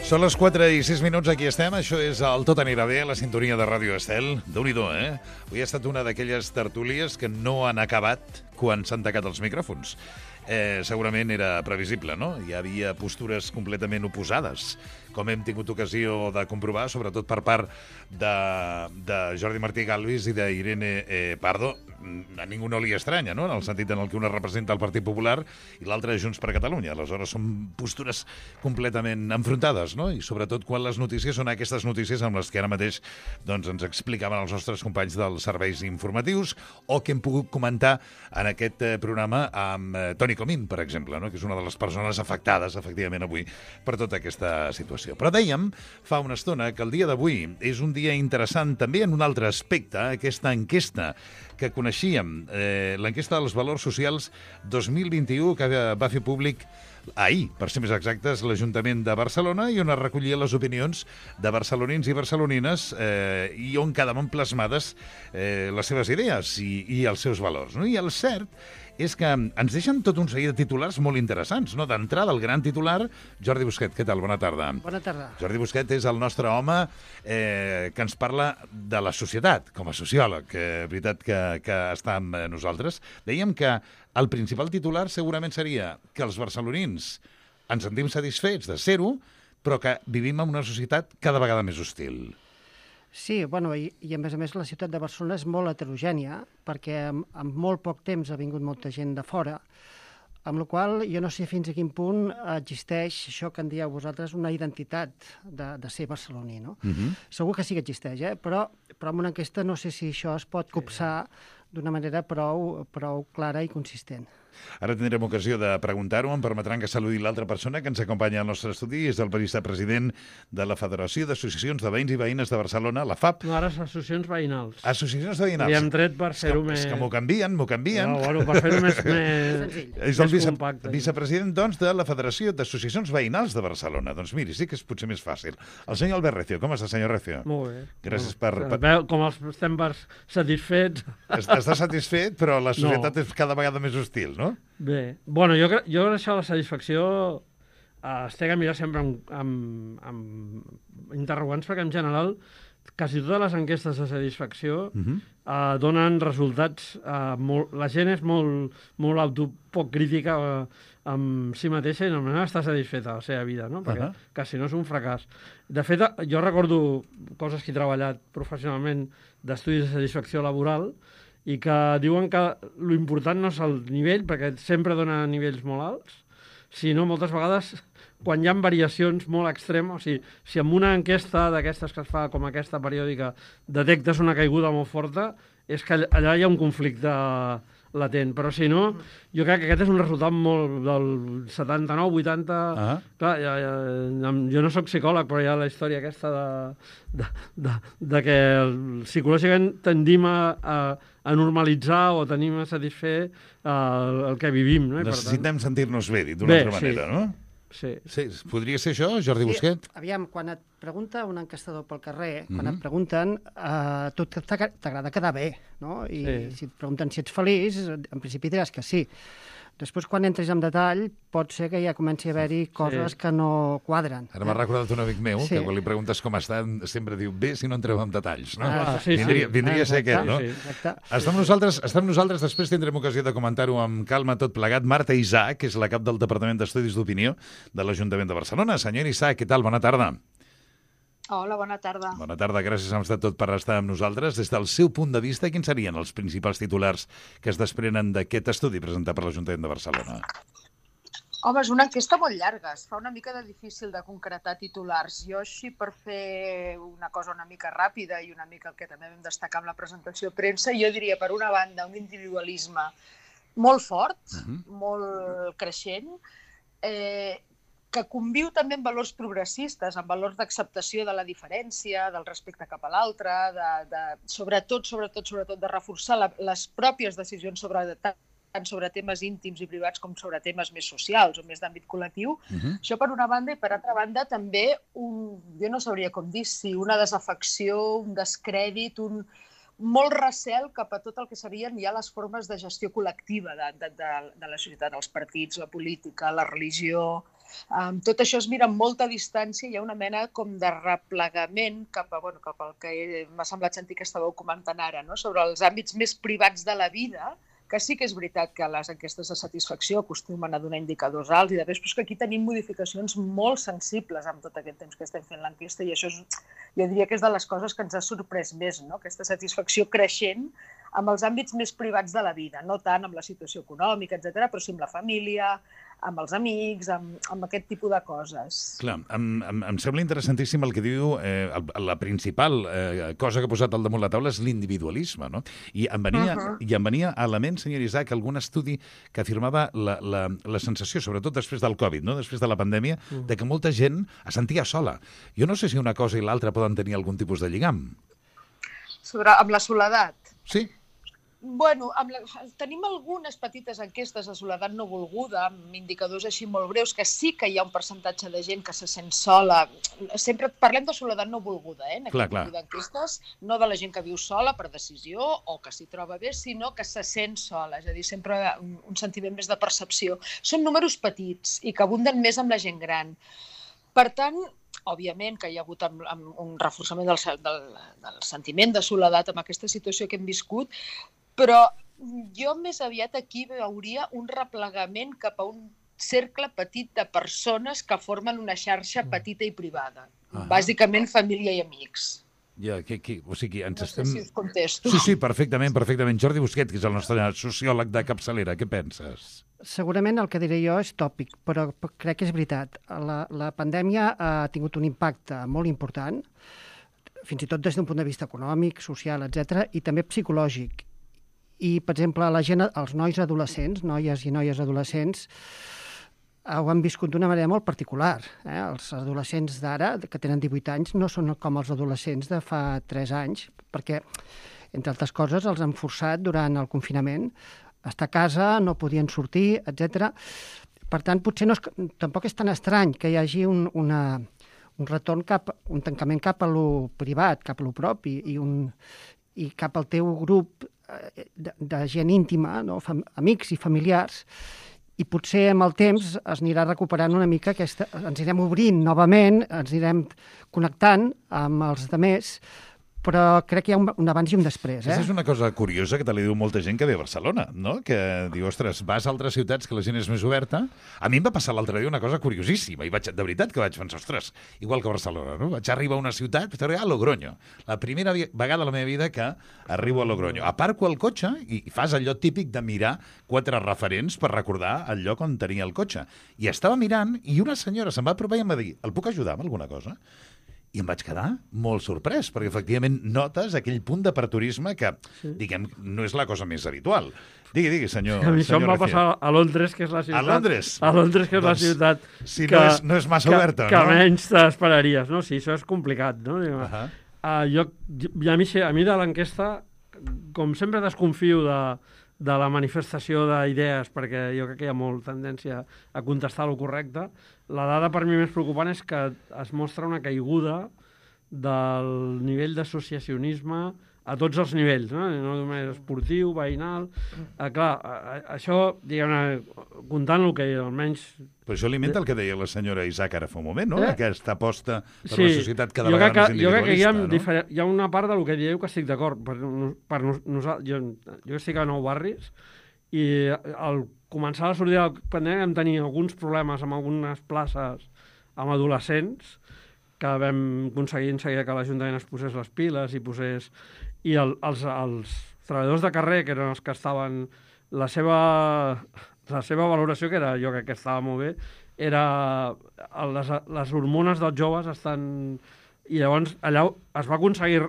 Són les 4 i 6 minuts, aquí estem. Això és el Tot anirà bé, la sintonia de Ràdio Estel. Déu-n'hi-do, eh? Avui ha estat una d'aquelles tertúlies que no han acabat quan s'han tacat els micròfons. Segurament era previsible, no? Hi havia postures completament oposades, com hem tingut ocasió de comprovar, sobretot per part de Jordi Martí Galvis i d'Irene Pardo. A ningú no li estranya, no?, en el sentit en el que una representa el Partit Popular i l'altra Junts per Catalunya. Aleshores, són postures completament enfrontades, no? I sobretot quan les notícies són aquestes notícies amb les que ara mateix doncs, ens explicaven els nostres companys dels serveis informatius o que hem pogut comentar en aquest programa amb Toni Comín, per exemple, no?, que és una de les persones afectades, efectivament, avui per tota aquesta situació. Però dèiem fa una estona que el dia d'avui és un dia interessant també en un altre aspecte, aquesta enquesta que coneixíem, l'enquesta dels valors socials 2021 que va fer públic ahir, per ser més exactes, l'Ajuntament de Barcelona, i on es recollia les opinions de barcelonins i barcelonines i on quedaven plasmades les seves idees i els seus valors, no? I el cert és que ens deixen tot un seguit de titulars molt interessants, no? D'entrada, el gran titular, Jordi Busquet, què tal? Bona tarda. Bona tarda. Jordi Busquet és el nostre home que ens parla de la societat, com a sociòleg, veritat que està amb nosaltres. Dèiem que el principal titular segurament seria que els barcelonins ens sentim satisfets de ser-ho, però que vivim en una societat cada vegada més hostil. Sí, bueno, i a més la ciutat de Barcelona és molt heterogènia, perquè en molt poc temps ha vingut molta gent de fora, amb la qual jo no sé fins a quin punt existeix això que en dieu vosaltres, una identitat de ser barceloní, no? Segur que sí que existeix, però en una enquesta no sé si això es pot copsar d'una manera prou clara i consistent. Ara tindrem ocasió de preguntar-ho. Em permetran que saludi l'altra persona que ens acompanya al nostre estudi. És el vicepresident de la Federació d'Associacions de Veïns i Veïnes de Barcelona, la FAP. No, ara és associacions veïnals. Associacions de veïnals. Li hem tret per fer-ho més... És que m'ho canvien. No, bueno, per fer-ho més és el compacte. vicepresident, doncs, de la Federació d'Associacions Veïnals de Barcelona. Doncs miri, sí que és potser més fàcil. El senyor Albert Recio. Com està, senyor Recio? Molt bé. Gràcies per... Com estem satisfets... Està satisfet, però la societat és cada vegada més hostil, no? Bé, bueno, jo crec que això de la satisfacció es té que mirar sempre amb interrogants, perquè en general quasi totes les enquestes de satisfacció donen resultats... la gent és molt poc crítica amb si mateixa i normalment està satisfeta de la seva vida, no? Perquè quasi no és un fracàs. De fet, jo recordo coses que he treballat professionalment d'estudis de satisfacció laboral i que diuen que l'important no és el nivell, perquè sempre dona nivells molt alts, sinó moltes vegades quan hi ha variacions molt extremes, o sigui, si en una enquesta d'aquestes que es fa com aquesta periòdica detectes una caiguda molt forta, és que allà hi ha un conflicte latent, però si no, jo crec que aquest és un resultat molt del 79, 80... Clar, jo no sóc psicòleg, però hi ha la història aquesta de que psicològicament tendim a normalitzar o tenim a satisfer el que vivim, no? Necessitem sentir-nos bé, dit d'una altra manera, no? Sí. Podria ser això, Jordi Busquet? Aviam, quan et pregunta un enquestador pel carrer, quan et pregunten, tu t'agrada quedar bé, no? I si et pregunten si ets feliç, en principi diràs que sí. Després, quan entres en detall, pot ser que ja comenci a haver-hi coses que no quadren. Ara m'ha recordat un amic meu que quan li preguntes com està, sempre diu bé si no entreu en detalls, no? Vindria a ser aquest, no? Està amb nosaltres, després tindrem ocasió de comentar-ho amb calma tot plegat. Marta Isaac, que és la cap del Departament d'Estudis d'Opinió de l'Ajuntament de Barcelona. Senyor Isaac, què tal? Bona tarda. Hola, bona tarda. Bona tarda, gràcies tot per estar amb nosaltres. Des del seu punt de vista, quins serien els principals titulars que es desprenen d'aquest estudi presentat per l'Ajuntament de Barcelona? Home, és una enquesta molt llarga, es fa una mica de difícil de concretar titulars. Jo així, per fer una cosa una mica ràpida i una mica el que també vam destacar amb la presentació de premsa, jo diria, per una banda, un individualisme molt fort, molt creixent, que conviu també amb valors progressistes, amb valors d'acceptació de la diferència, del respecte cap a l'altre, sobretot de reforçar les pròpies decisions tant sobre temes íntims i privats com sobre temes més socials o més d'àmbit col·lectiu. Això per una banda, i per altra banda també, jo no sabria com dir, si una desafecció, un descrèdit, molt recel cap a tot el que serien ja les formes de gestió col·lectiva de la societat, els partits, la política, la religió. Tot això es mira amb molta distància, hi ha una mena com de replegament cap al que m'ha semblat sentir que estàveu comentant ara, no? Sobre els àmbits més privats de la vida, que sí que és veritat que les enquestes de satisfacció acostumen a donar indicadors alts i després, però és que aquí tenim modificacions molt sensibles amb tot aquest temps que estem fent l'enquesta i això jo diria que és de les coses que ens ha sorprès més, no? Aquesta satisfacció creixent amb els àmbits més privats de la vida, no tant amb la situació econòmica, etc., però sí amb la família, amb els amics, amb aquest tipus de coses. Clar, em sembla interessantíssim el que diu, la principal cosa que ha posat al damunt la taula és l'individualisme, no? I em venia a la ment, senyor Isaac, algun estudi que afirmava la sensació, sobretot després del Covid, no? Després de la pandèmia, de que molta gent es sentia sola. Jo no sé si una cosa i l'altra poden tenir algun tipus de lligam. Amb la soledat? Sí. Bueno, tenim algunes petites enquestes de soledat no volguda, amb indicadors així molt breus, que sí que hi ha un percentatge de gent que se sent sola. Sempre parlem de soledat no volguda, en aquest tipus d'enquestes, no de la gent que viu sola per decisió o que s'hi troba bé, sinó que se sent sola, és a dir, sempre un sentiment més de percepció. Són números petits i que abunden més amb la gent gran. Per tant, òbviament que hi ha hagut un reforçament del sentiment de soledat amb aquesta situació que hem viscut, però jo més aviat aquí veuria un replegament cap a un cercle petit de persones que formen una xarxa petita i privada. Bàsicament família i amics. Ja, o sigui, ens estem... No sé si us contesto. Sí, perfectament. Jordi Busquet, que és el nostre sociòleg de capçalera, què penses? Segurament el que diré jo és tòpic, però crec que és veritat. La pandèmia ha tingut un impacte molt important, fins i tot des d'un punt de vista econòmic, social, etc., i també psicològic. I, per exemple, la gent, els nois adolescents, noies i noies adolescents, ho han viscut d'una manera molt particular. Els adolescents d'ara, que tenen 18 anys, no són com els adolescents de fa 3 anys, perquè, entre altres coses, els han forçat durant el confinament a estar a casa, no podien sortir, etc. Per tant, potser tampoc és tan estrany que hi hagi un retorn un tancament cap a lo privat, cap a lo propi, i cap al teu grup de gent íntima, no? Amics i familiars, i potser amb el temps es anirà recuperant una mica ens anirem obrint novament, ens anirem connectant amb els altres, però crec que hi ha un abans i un després. Aquesta és una cosa curiosa que te li diu molta gent que ve a Barcelona, no? Que diu, ostres, vas a altres ciutats que la gent és més oberta. A mi em va passar l'altre dia una cosa curiosíssima, i de veritat que vaig pensar, ostres, igual que a Barcelona, no? Vaig arribar a una ciutat, vaig arribar a Logroño. La primera vegada a la meva vida que arribo a Logroño. Aparco el cotxe i fas allò típic de mirar 4 referents per recordar el lloc on tenia el cotxe. I estava mirant i una senyora se'm va apropar i em va dir, el puc ajudar amb alguna cosa? I em vaig quedar molt sorprès, perquè efectivament notes aquell punt d'aperturisme que, diguem, no és la cosa més habitual. Digui, senyor. A mi això em va passar a Londres, que és la ciutat... A Londres? A Londres, que és la ciutat... Si no és massa oberta, no? Que menys t'esperaries, no? Sí, això és complicat, no? A mi de l'enquesta, com sempre desconfio de la manifestació d'idees, perquè jo crec que hi ha molt tendència a contestar el correcte. La dada per mi més preocupant és que es mostra una caiguda del nivell d'associacionisme a tots els nivells, no només esportiu, veïnal... Clar, això, diguem-ne, comptant el que almenys... Però això alimenta el que deia la senyora Isaac ara fa un moment, no? Aquesta aposta per una societat cada vegada més individualista, no? Jo crec que hi ha una part del que dieu que estic d'acord. Jo estic a 9 barris i al començar a sortir del pandèmia vam tenir alguns problemes amb algunes places amb adolescents que vam aconseguir en seguida que l'Ajuntament es posés les piles i posés... I els treballadors de carrer, que eren els que estaven... La seva valoració, que era, jo crec que estava molt bé, era les hormones dels joves estan... I llavors allà es va aconseguir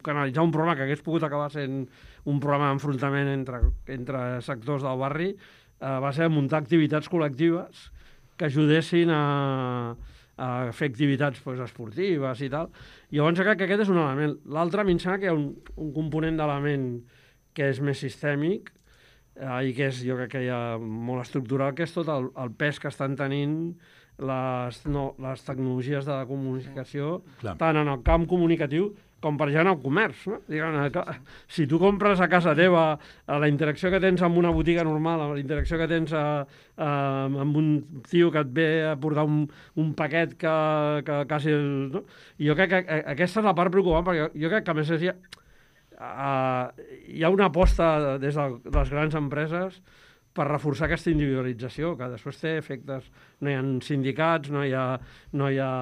canalitzar un problema que hagués pogut acabar sent un problema d'enfrontament entre sectors del barri, va ser muntar activitats col·lectives que ajudessin a fer activitats esportives i tal. Llavors crec que aquest és un element. L'altre, a mi em sembla que hi ha un component d'element que és més sistèmic i que és, jo crec que hi ha molt estructural, que és tot el pes que estan tenint les tecnologies de la comunicació, tant en el camp comunicatiu com per exemple el comerç, no? Diguem-ne, si tu compres a casa teva, la interacció que tens amb una botiga normal, la interacció que tens amb un tio que et ve a portar un paquet que quasi... No? I jo crec que aquesta és la part preocupant, perquè jo crec que a més hi ha una aposta des de les grans empreses per reforçar aquesta individualització, que després té efectes. No hi ha sindicats, no hi ha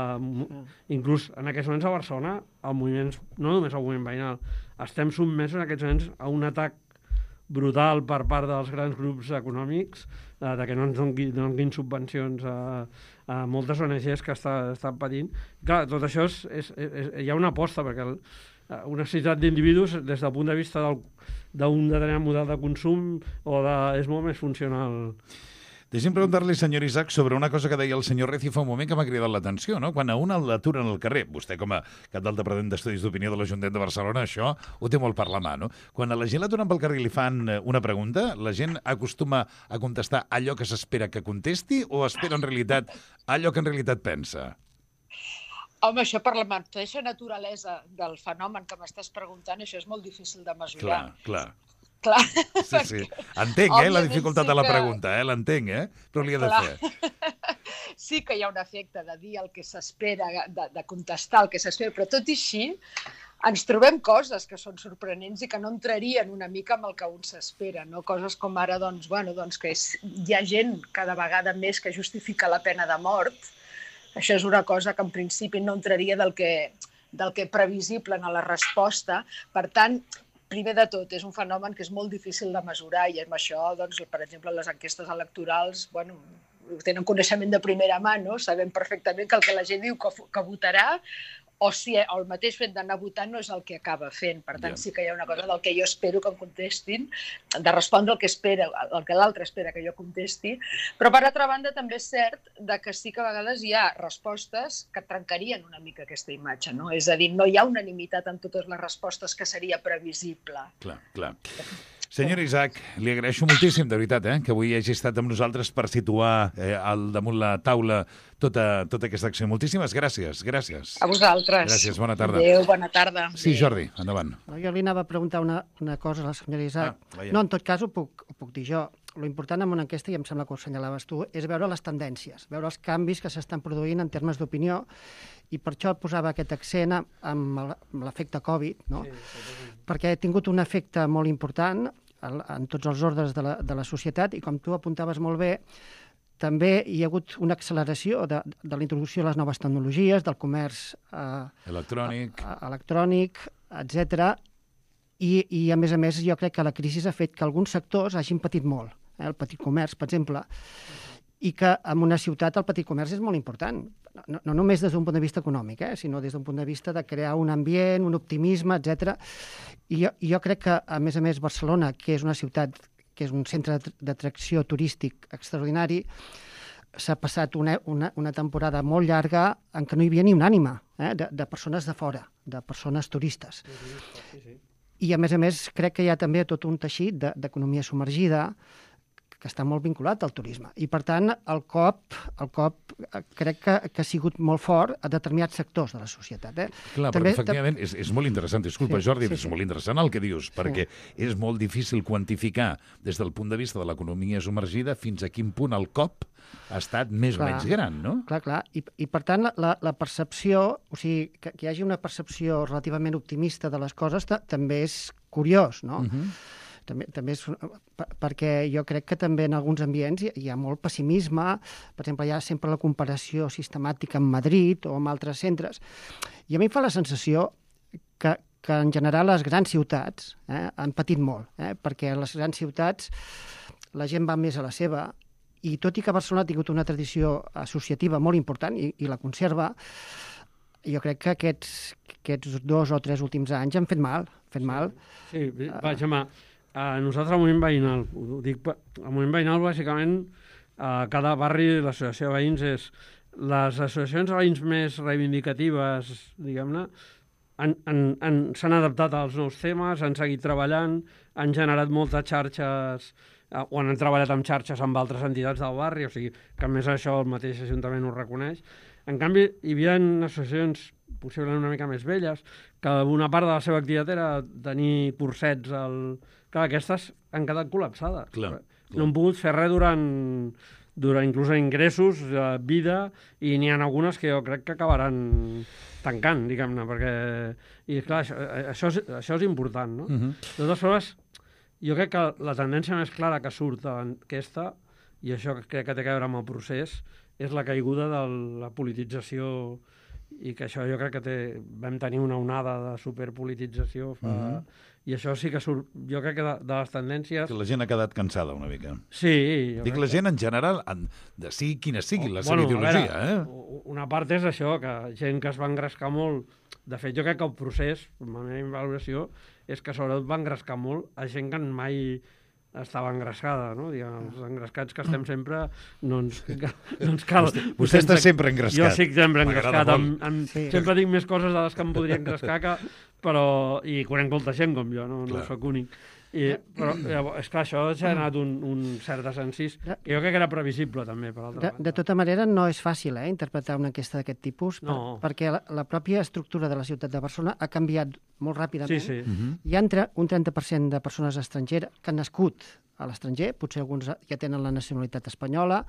inclús en aquests moments a Barcelona, el moviment, no només el moviment veïnal, estem sotmesos en aquests moments a un atac brutal per part dels grans grups econòmics, de que no ens donin subvencions a moltes ONGs que estan patint. Clar, tot això hi ha una aposta, perquè una necessitat d'individus des del punt de vista d'un determinat model de consum és molt més funcional. Deixi'm preguntar-li, senyor Isaac, sobre una cosa que deia el senyor Reci fa un moment que m'ha cridat l'atenció, no? Quan a un l'aturen al carrer, vostè com a cap d'altre d'estudis d'opinió de l'Ajuntament de Barcelona, això ho té molt per la mà, no? Quan a la gent l'aturen pel carrer i li fan una pregunta, la gent acostuma a contestar allò que s'espera que contesti o espera en realitat allò que en realitat pensa? Home, això per la mateixa naturalesa del fenomen que m'estàs preguntant, això és molt difícil de mesurar. Clar. Sí. Entenc, la dificultat de la pregunta, l'entenc, però li he de fer. Sí que hi ha un efecte de dir el que s'espera, de contestar el que s'espera, però tot i així ens trobem coses que són sorprenents i que no entrarien una mica amb el que un s'espera, no? Coses com ara, que hi ha gent cada vegada més que justifica la pena de mort. Això és una cosa que en principi no entraria del que previsible en la resposta. Per tant, primer de tot, és un fenomen que és molt difícil de mesurar i amb això, per exemple, les enquestes electorals, tenen coneixement de primera mà, no? Sabem perfectament que el que la gent diu que votarà o el mateix fet d'anar a votar no és el que acaba fent. Per tant, sí que hi ha una cosa del que jo espero que em contestin, de respondre el que l'altre espera que jo contesti, però per altra banda també és cert que sí que a vegades hi ha respostes que trencarien una mica aquesta imatge, no? És a dir, no hi ha unanimitat en totes les respostes que seria previsible. Clar. Senyor Isaac, li agraeixo moltíssim, de veritat, que avui hagi estat amb nosaltres per situar al damunt la taula tota aquesta acció. Moltíssimes gràcies. A vosaltres. Gràcies, bona tarda. Adéu, bona tarda. Sí, Jordi, endavant. Jo li anava a preguntar una cosa a la senyora Isaac. No, en tot cas ho puc dir jo. Lo important en una enquesta, i em sembla que ho assenyalaves tu, és veure les tendències, veure els canvis que s'estan produint en termes d'opinió, i per això posava aquest accent amb l'efecte Covid, no? Perquè ha tingut un efecte molt important en tots els ordres de la societat, i com tu apuntaves molt bé, també hi ha hagut una acceleració de la introducció de les noves tecnologies, del comerç electrònic, etc. I, a més, jo crec que la crisi ha fet que alguns sectors hagin patit molt. El petit comerç, per exemple, i que en una ciutat el petit comerç és molt important. No només des d'un punt de vista econòmic, sinó des d'un punt de vista de crear un ambient, un optimisme, etc. I jo crec que, a més, Barcelona, que és una ciutat, que és un centre d'atracció turístic extraordinari, s'ha passat una temporada molt llarga en què no hi havia ni una ànima de persones de fora, de persones turistes. I, a més, crec que hi ha també tot un teixit d'economia submergida que està molt vinculat al turisme. I, per tant, el cop crec que ha sigut molt fort a determinats sectors de la societat. Clar, però efectivament és molt interessant. Disculpa, Jordi, és molt interessant el que dius, perquè és molt difícil quantificar des del punt de vista de l'economia submergida fins a quin punt el cop ha estat més o menys gran, no? Clar. I per tant, la percepció, o sigui, que hi hagi una percepció relativament optimista de les coses també és curiós, no? També és perquè jo crec que també en alguns ambients hi ha molt pessimisme. Per exemple, hi ha sempre la comparació sistemàtica amb Madrid o amb altres centres. I a mi em fa la sensació que en general les grans ciutats han patit molt, perquè a les grans ciutats la gent va més a la seva, i tot i que Barcelona ha tingut una tradició associativa molt important i la conserva, jo crec que aquests 2 o 3 últims anys han fet mal. Sí, vaja, nosaltres al moviment veïnal, ho dic, al moviment veïnal bàsicament a cada barri l'associació de veïns les associacions de veïns més reivindicatives, diguem-ne, s'han adaptat als nous temes, han seguit treballant, han generat moltes xarxes o han treballat amb xarxes amb altres entitats del barri, o sigui, que a més això el mateix Ajuntament ho reconeix. En canvi, hi havia associacions possiblement una mica més velles, que una part de la seva activitat era tenir cursets Clar, aquestes han quedat col·lapsades. Clar. No han pogut fer res durant inclús ingressos, vida, i n'hi ha algunes que jo crec que acabaran tancant, diguem-ne, perquè... I clar, això és important, no? De totes formes, jo crec que la tendència més clara que surt d'aquesta, i això crec que té a veure amb el procés, és la caiguda de la politització, i que això jo crec que vam tenir una onada de superpolitització fa... I això sí que surt, jo crec que de les tendències... Que la gent ha quedat cansada una mica. Sí. Dic la gent en general, de sigui quina sigui la seva ideologia. Una part és això, que gent que es va engrescar molt... De fet, jo crec que el procés, la meva valoració, és que sobretot va engrescar molt a gent que mai estava engrescada, no? Els engrescats que estem sempre no ens cal... Vostè està sempre engrescat. Jo sí que sempre engrescat. Sempre dic més coses de les que em podria engrescar, i conec molta gent com jo, no soc únic. Però, és clar, això ja ha anat un cert desencís, que jo crec que era previsible, també, per altra banda. De tota manera, no és fàcil interpretar una enquesta d'aquest tipus, perquè la pròpia estructura de la ciutat de Barcelona ha canviat molt ràpidament. Sí. Hi ha un 30% de persones estrangeres que han nascut a l'estranger, potser alguns ja tenen la nacionalitat espanyola,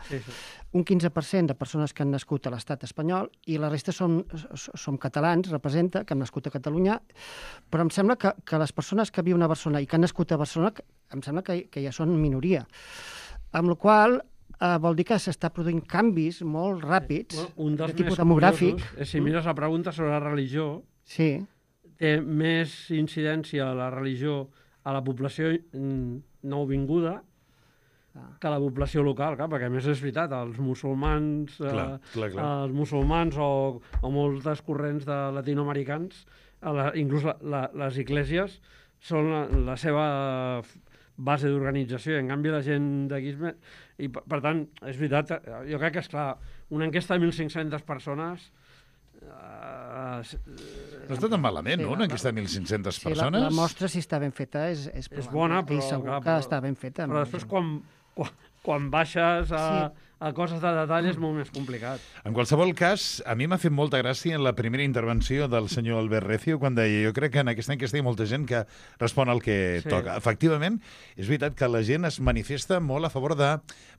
un 15% de persones que han nascut a l'estat espanyol, i la resta som catalans, representa, que han nascut a Catalunya, però em sembla que les persones que viuen a Barcelona i que han nascut a Barcelona, em sembla que ja són minoria. Amb la qual vol dir que s'està produint canvis molt ràpids de tipus demogràfic. Si mires la pregunta sobre la religió, té més incidència la religió a la població nouvinguda que la població local, perquè a més és veritat, els musulmans els musulmans o moltes corrents de latinoamericans, inclús les esglésies, són la seva base d'organització, i en canvi la gent d'aquí... I per tant, és veritat, jo crec que, esclar, una enquesta de 1.500 persones... No està tan malament, no? Una enquesta de 1.500 persones? La mostra, si està ben feta, és bona, però... I segur que està ben feta. Però després, quan baixes a coses de detall, és molt més complicat. En qualsevol cas, a mi m'ha fet molta gràcia en la primera intervenció del senyor Albert Recio, quan deia, jo crec que en aquesta enquesta hi ha molta gent que respon al que toca. Efectivament, és veritat que la gent es manifesta molt a favor de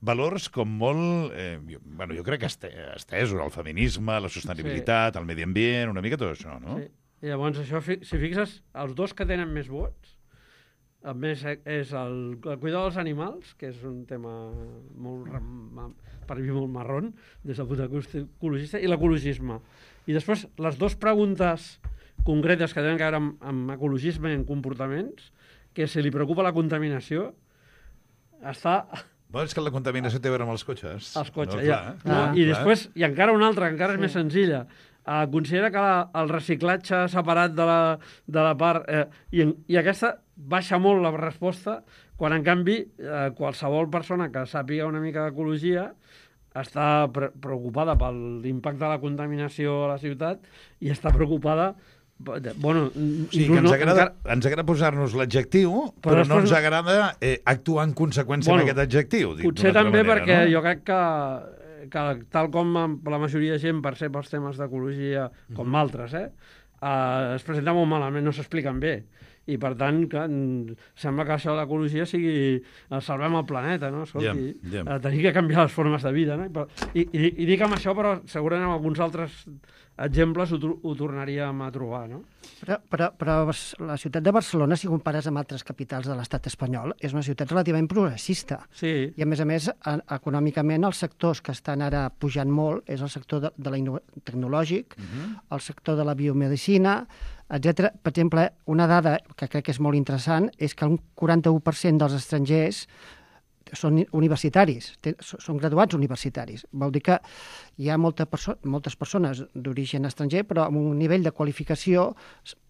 valors com molt... jo crec que estesos, el feminisme, la sostenibilitat, el medi ambient, una mica tot això, no? Sí. I llavors, això, si fixes, els dos que tenen més vots, a més, és el cuidar dels animals, que és un tema per mi molt marrón, des del punt de vista ecologista, i l'ecologisme. I després, les dues preguntes concretes que tenen a veure amb ecologisme i en comportaments, que si li preocupa la contaminació, està... És que la contaminació té a veure amb els cotxes. Els cotxes, I després, i encara una altra, que encara és més senzilla, considera que el reciclatge separat de la part... I aquesta baixa molt la resposta, quan en canvi qualsevol persona que sàpiga una mica d'ecologia està preocupada per l'impacte de la contaminació a la ciutat i està preocupada... ens agrada posar-nos l'adjectiu, però no ens agrada actuar en conseqüència amb aquest adjectiu. Potser també perquè jo crec que tal com la majoria de gent percep els temes d'ecologia, com altres, es presenta molt malament, no s'expliquen bé. I, per tant, sembla que això de l'ecologia sigui salvem el planeta, no? Tenir que canviar les formes de vida, no? I dic amb això, però segurament amb alguns altres exemples ho tornaríem a trobar, no? Però la ciutat de Barcelona, si compares amb altres capitals de l'estat espanyol, és una ciutat relativament progressista. Sí. I, a més, econòmicament, els sectors que estan ara pujant molt és el sector tecnològic, el sector de la biomedicina, etc. Per exemple, una dada que crec que és molt interessant és que un 41% dels estrangers són universitaris, són graduats universitaris. Vol dir que hi ha moltes persones d'origen estranger, però amb un nivell de qualificació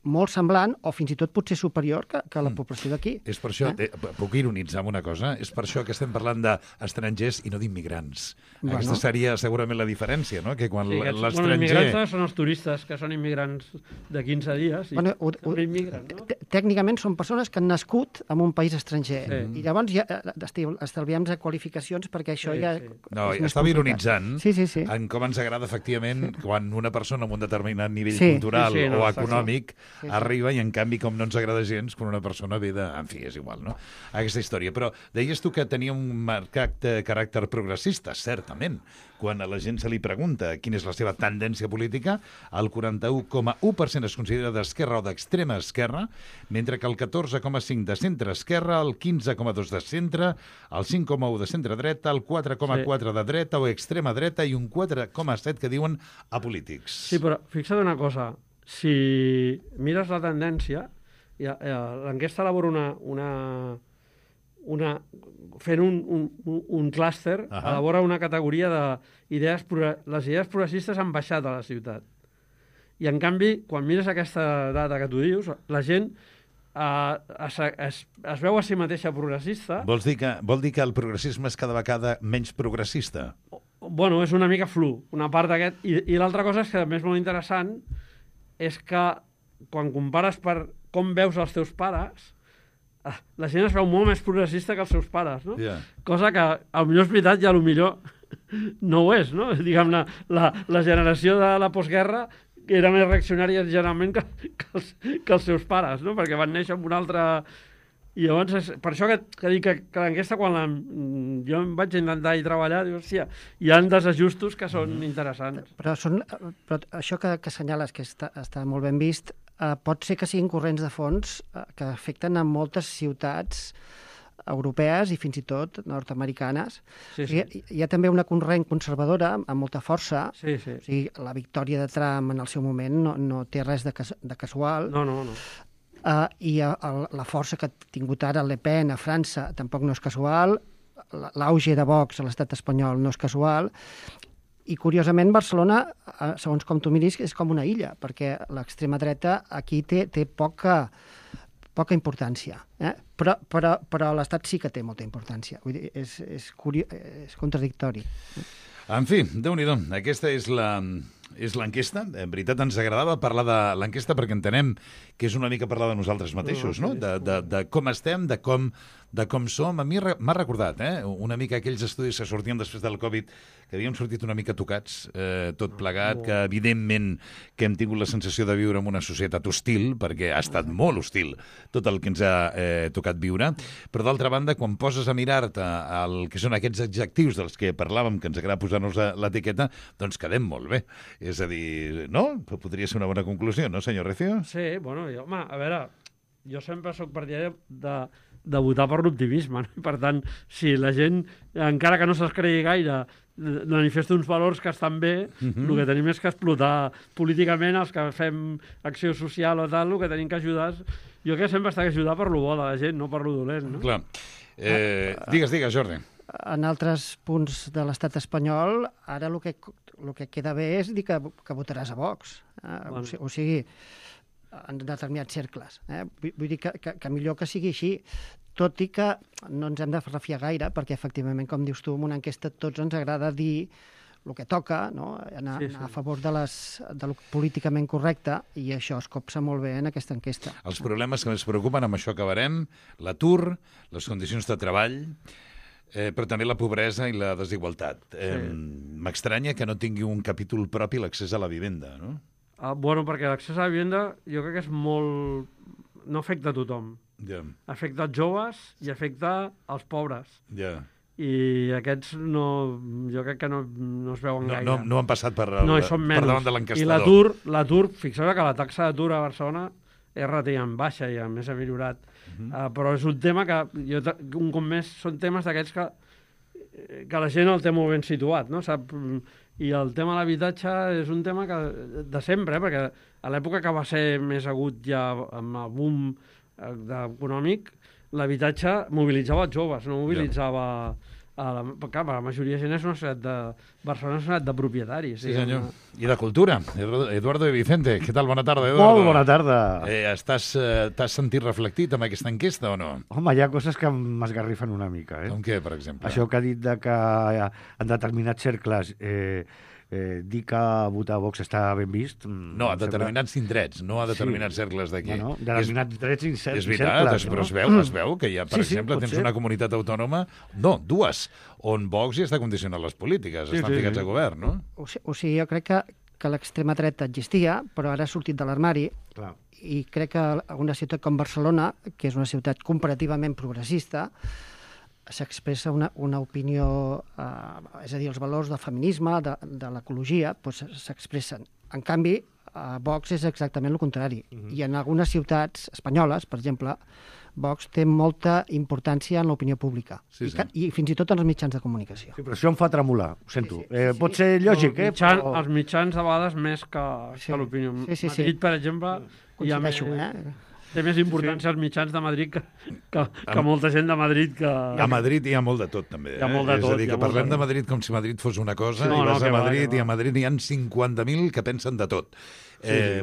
molt semblant o fins i tot potser superior que la població d'aquí. És per això, puc ironitzar amb una cosa, és per això que estem parlant d'estrangers i no d'immigrants. Aquesta seria segurament la diferència, no? Que quan l'estranger... Immigrants són els turistes, que són immigrants de 15 dies. Immigren, no? Tècnicament són persones que han nascut en un país estranger. I llavors, estalviem-nos a qualificacions perquè això ja... No, és més estava complicat. ironitzant Sí. en com ens agrada, efectivament, quan una persona amb un determinat nivell Sí. cultural Sí, o està econòmic Sí. arriba i, en canvi, com no ens agrada gens quan una persona ve de... En fi, és igual, no? Aquesta història. Però deies tu que tenia un marcat caràcter progressista, certament. Quan a la gent se li pregunta quina és la seva tendència política, el 41,1% es considera d'esquerra o d'extrema esquerra, mentre que el 14,5% de centre-esquerra, el 15,2% de centre, el 5,1% de centre-dreta, el 4,4% de dreta o extrema dreta i un 4,7% que diuen apolítics. Sí, però fixa't una cosa. Si mires la tendència, l'enquesta elabora fent un clúster, elabora una categoria les idees progressistes han baixat a la ciutat. I, en canvi, quan mires aquesta data que tu dius, la gent es veu a si mateixa progressista. Vol dir que el progressisme és cada vegada menys progressista? Bueno, és una mica flu, una part d'aquest. I l'altra cosa és que, a més, molt interessant, és que quan compares per com veus els teus pares, la gent es veu molt més progressista que els seus pares, no? Yeah. Cosa que, potser és veritat i potser no ho és, no? Diguem-ne, la generació de la postguerra era més reaccionària generalment que els seus pares, no? Perquè van néixer amb una altra... I llavors, per això que dic que l'enquesta, quan jo em vaig intentar hi treballar, dic, hòstia, hi ha desajustos que són interessants. Però això que assenyales, que està molt ben vist, pot ser que siguin corrents de fons que afecten a moltes ciutats europees i fins i tot nord-americanes. Sí. Hi ha també una corrent conservadora amb molta força. Sí. O sigui, la victòria de Trump en el seu moment no té res de casual. No. I la força que ha tingut ara Le Pen a França tampoc no és casual. L'auge de Vox a l'estat espanyol no és casual. I, curiosament, Barcelona, segons com tu miris, és com una illa, perquè l'extrema dreta aquí té poca importància. Però l'Estat sí que té molta importància. Vull dir, és contradictori. En fi, Déu-n'hi-do, aquesta és l'enquesta. En veritat ens agradava parlar de l'enquesta perquè entenem que és una mica parlar de nosaltres mateixos, no? De com estem, de com som. A mi m'ha recordat una mica aquells estudis que sortien després del Covid, que havíem sortit una mica tocats, tot plegat, que evidentment que hem tingut la sensació de viure en una societat hostil, perquè ha estat molt hostil tot el que ens ha tocat viure, però d'altra banda, quan poses a mirar-te el que són aquests adjectius dels que parlàvem, que ens agrada posar-nos l'etiqueta, doncs quedem molt bé. És a dir, no? Podria ser una bona conclusió, no, senyor Recio? Sí, bueno, home, a veure, jo sempre sóc partidari de votar per l'optimisme, no? Per tant, si la gent, encara que no se'ls cregui gaire, manifesta uns valors que estan bé, el que tenim és que explotar políticament els que fem acció social o tal, el que tenim que ajudar jo crec que sempre està que ajudar per lo bo de la gent, no per lo dolent, no? Clar. Digues, Jordi. En altres punts de l'estat espanyol, ara el que queda bé és dir que votaràs a Vox. O sigui, en determinats cercles. Vull dir que millor que sigui així, tot i que no ens hem de refiar gaire, perquè efectivament, com dius tu, en una enquesta tots ens agrada dir el que toca, no? Anar a favor de lo políticament correcte, i això es copsa molt bé en aquesta enquesta. Els problemes que ens preocupen, amb això acabarem, l'atur, les condicions de treball, però també la pobresa i la desigualtat. M'estranya que no tingui un capítol propi l'accés a la vivenda, no? Bueno, perquè l'accés a la vivenda jo crec que és molt... no afecta a tothom. Afecta els joves i afecta els pobres. I aquests jo crec que no es veuen gaire. No han passat per davant de I l'enquestador. l'atur, fixeu-vos que la taxa d'atur a Barcelona és relativament baixa i a més ha millorat. Però és un tema que, un cop més, són temes d'aquests que la gent el té molt ben situat, no? Sap? I el tema de l'habitatge és un tema de sempre, perquè a l'època que va ser més agut ja amb el boom econòmic, l'habitatge mobilitzava els joves, no mobilitzava... Clar, la majoria de gent és una ciutat Barcelona és una ciutat de propietaris. Sí, senyor. I de cultura. Eduardo de Vicente. Què tal? Bona tarda, Eduardo. Molt bona tarda. T'has sentit reflectit amb aquesta enquesta o no? Home, hi ha coses que m'esgarrifen una mica. Com què, per exemple? Això que ha dit que en determinats cercles dir que votar a Vox està ben vist... No, a determinats indrets, no a determinats cercles d'aquí. Bueno, determinats drets i cercles. És veritat, però es veu que hi ha, per exemple, tens una comunitat autònoma, no, dues, on Vox ja està condicionant les polítiques, estan ficats a govern, no? O sigui, jo crec que l'extrema dreta existia, però ara ha sortit de l'armari, i crec que una ciutat com Barcelona, que és una ciutat comparativament progressista, s'expressa una opinió, és a dir, els valors del feminisme, de l'ecologia, doncs s'expressen. En canvi, Vox és exactament el contrari. I en algunes ciutats espanyoles, per exemple, Vox té molta importància en l'opinió pública. I fins i tot en els mitjans de comunicació. Sí, però això em fa tremolar, ho sento. Pot ser lògic, Els mitjans, a vegades, més que l'opinió. Madrid, per exemple, coincideixo, té més importància als mitjans de Madrid que molta gent de Madrid que... A Madrid hi ha molt de tot, també. Hi ha molt de tot. És a dir, que parlem de Madrid com si Madrid fos una cosa, i vas a Madrid, i a Madrid hi ha 50.000 que pensen de tot.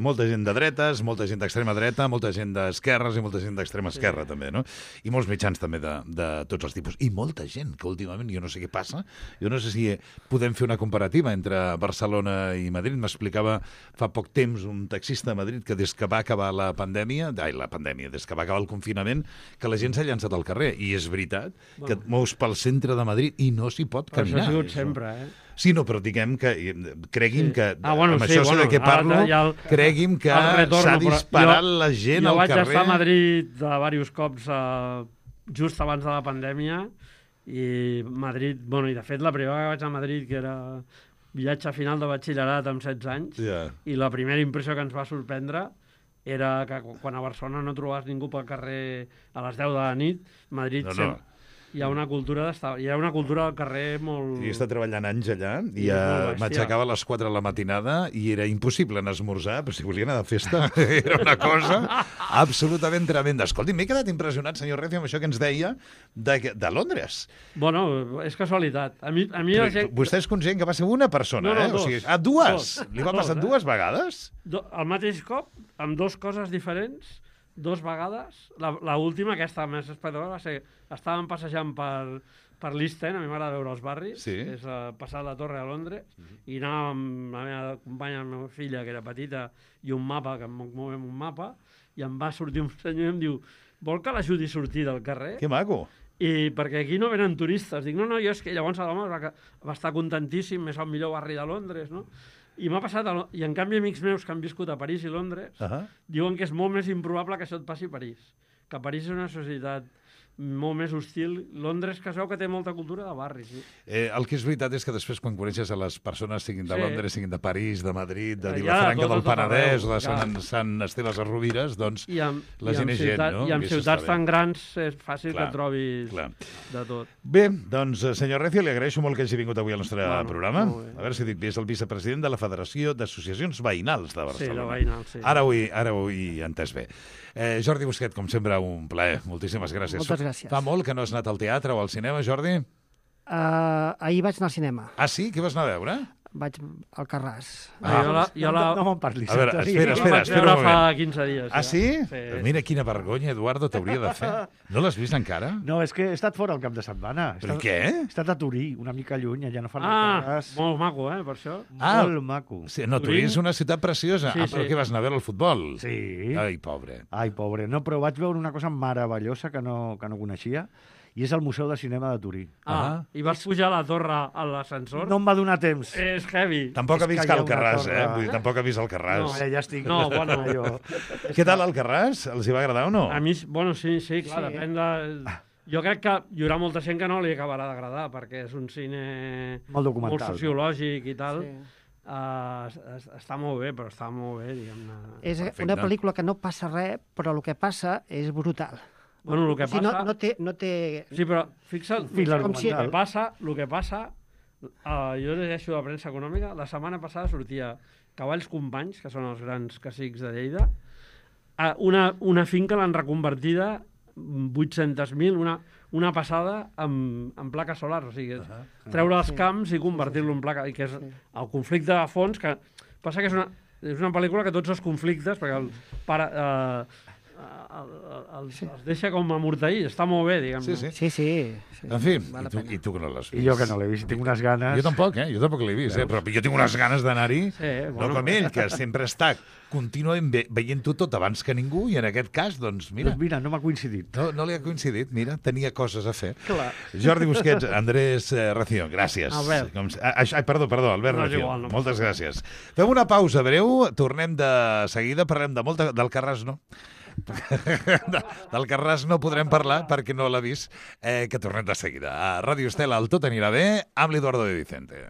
Molta gent de dretes, molta gent d'extrema dreta, molta gent d'esquerres i molta gent d'extrema esquerra, també, no? I molts mitjans, també, de tots els tipus. I molta gent, que últimament, jo no sé què passa, jo no sé si podem fer una comparativa entre Barcelona i Madrid. M'explicava fa poc temps un taxista de Madrid que des que va acabar la pandèmia, des que va acabar el confinament, que la gent s'ha llançat al carrer. I és veritat que et mous pel centre de Madrid i no s'hi pot caminar. Això ha sigut sempre, Sí, no, però diguem que, cregui'm que, amb això sé de què parlo, cregui'm que s'ha disparat la gent al carrer. Jo vaig estar a Madrid diversos cops just abans de la pandèmia, i Madrid, i de fet la primera que vaig a Madrid, que era viatge final de batxillerat amb 16 anys, i la primera impressió que ens va sorprendre era que quan a Barcelona no trobaves ningú pel carrer a les 10 de la nit, Madrid sempre... Hi ha una cultura del carrer molt... Jo he estat treballant anys allà i m'aixecava a les 4 de la matinada i era impossible anar a esmorzar, però si volia anar de festa era una cosa absolutament tremenda. Escolti, m'he quedat impressionat, senyor Recio, amb això que ens deia de Londres. Bueno, és casualitat. A mi Vostè és conscient que va ser una persona, No, o sigui, dues? Li va passar dues vegades? Al mateix cop, amb dues coses diferents, 2 vegades. L'última, aquesta més espectacular, va ser... Estàvem passejant per l'East End, a mi m'agrada veure els barris, que és passar la Torre a Londres, i anàvem amb la meva companya, la meva filla, que era petita, i un mapa, que movem un mapa, i em va sortir un senyor i em diu: vol que l'ajudi a sortir del carrer? Que maco! I perquè aquí no venen turistes. Dic, no, jo és que llavors l'home va estar contentíssim, és el millor barri de Londres, no? I m'ha passat, i en canvi amics meus que han viscut a París i Londres diuen que és molt més improbable que això et passi a París, que París és una societat molt més hostil. Londres, que es veu que té molta cultura de barri, sí. El que és veritat és que després, quan coneixes a les persones, siguin de Londres, siguin de París, de Madrid, de Vilafranca del Penedès, o de Sant Esteve a Rovires, doncs la gent és gent, no? I en ciutats tan grans és fàcil que trobis de tot. Bé, doncs, senyor Recio, li agraeixo molt que hagi vingut avui al nostre programa. A veure si dic bé, és el vicepresident de la Federació d'Associacions Veïnals de Barcelona. Sí, de veïnals, sí. Ara ho he entès bé. Jordi Busquet, com sempre, un plaer. Moltíssimes gràcies. Moltes gràcies. Fa molt que no has anat al teatre o al cinema, Jordi? Ahir vaig anar al cinema. Ah, sí? Què vas anar a veure? Vaig al Carràs. No me'n parlis. A veure, espera un moment. Fa 15 dies. Ah, sí? Mira quina vergonya, Eduardo, t'hauria de fer. No l'has vist encara? No, és que he estat fora el cap de setmana. Però què? He estat a Turí, una mica lluny, allà no fan el Carràs. Molt maco, per això. Molt maco. No, Turí és una ciutat preciosa. Però què vas anar a veure el futbol? Sí. Ai, pobre. No, però vaig veure una cosa meravellosa que no coneixia, i és el Museu de Cinema de Turí. I vas pujar a la torre a l'ascensor? No em va donar temps. És heavy. Tampoc ha vist Alcarràs, Vull dir, tampoc ha vist Alcarràs. No, ja estic. No, bueno. Què tal Alcarràs? Els hi va agradar o no? A mi, sí, clar, depèn de... Jo crec que hi haurà molta gent que no li acabarà d'agradar, perquè és un cine molt documental, molt sociològic i tal. Està molt bé, però està molt bé, diguem-ne. És una pel·lícula que no passa res, però el que passa és brutal. Bueno, el que passa... No té... Sí, però fixa't, el que passa, jo llegeixo la premsa econòmica, la setmana passada sortia Cavalls Companys, que són els grans cacics de Lleida, una finca l'han reconvertida 800.000, una passada en plaques solars, o sigui, treure els camps i convertir-lo en placa, i que és el conflicte de fons, que passa que és una pel·lícula que tots els conflictes, perquè els deixa com amortair, està molt bé, diguem-ne. Sí. En fi, Val la i pena. tu que no l'has vist. I jo que no l'he vist, tinc unes ganes... Jo tampoc, jo tampoc l'he vist, però jo tinc unes ganes d'anar-hi, bueno. no com ell, que sempre està contínuament veient-ho tot abans que ningú, i en aquest cas, doncs, mira, Doncs mira, no m'ha coincidit. no li ha coincidit, mira, tenia coses a fer. Clar. Jordi Busquets, Andrés Ració, gràcies. Albert. Perdó, Albert No, és Ració, igual, no moltes gràcies. Fem una pausa breu, tornem de seguida, parlem de molt del Carràs, no? Del Carràs no podrem parlar perquè no l'ha vist, que tornem de seguida. A Ràdio Estel, el Tot anirà bé, amb l'Eduardo de Vicente.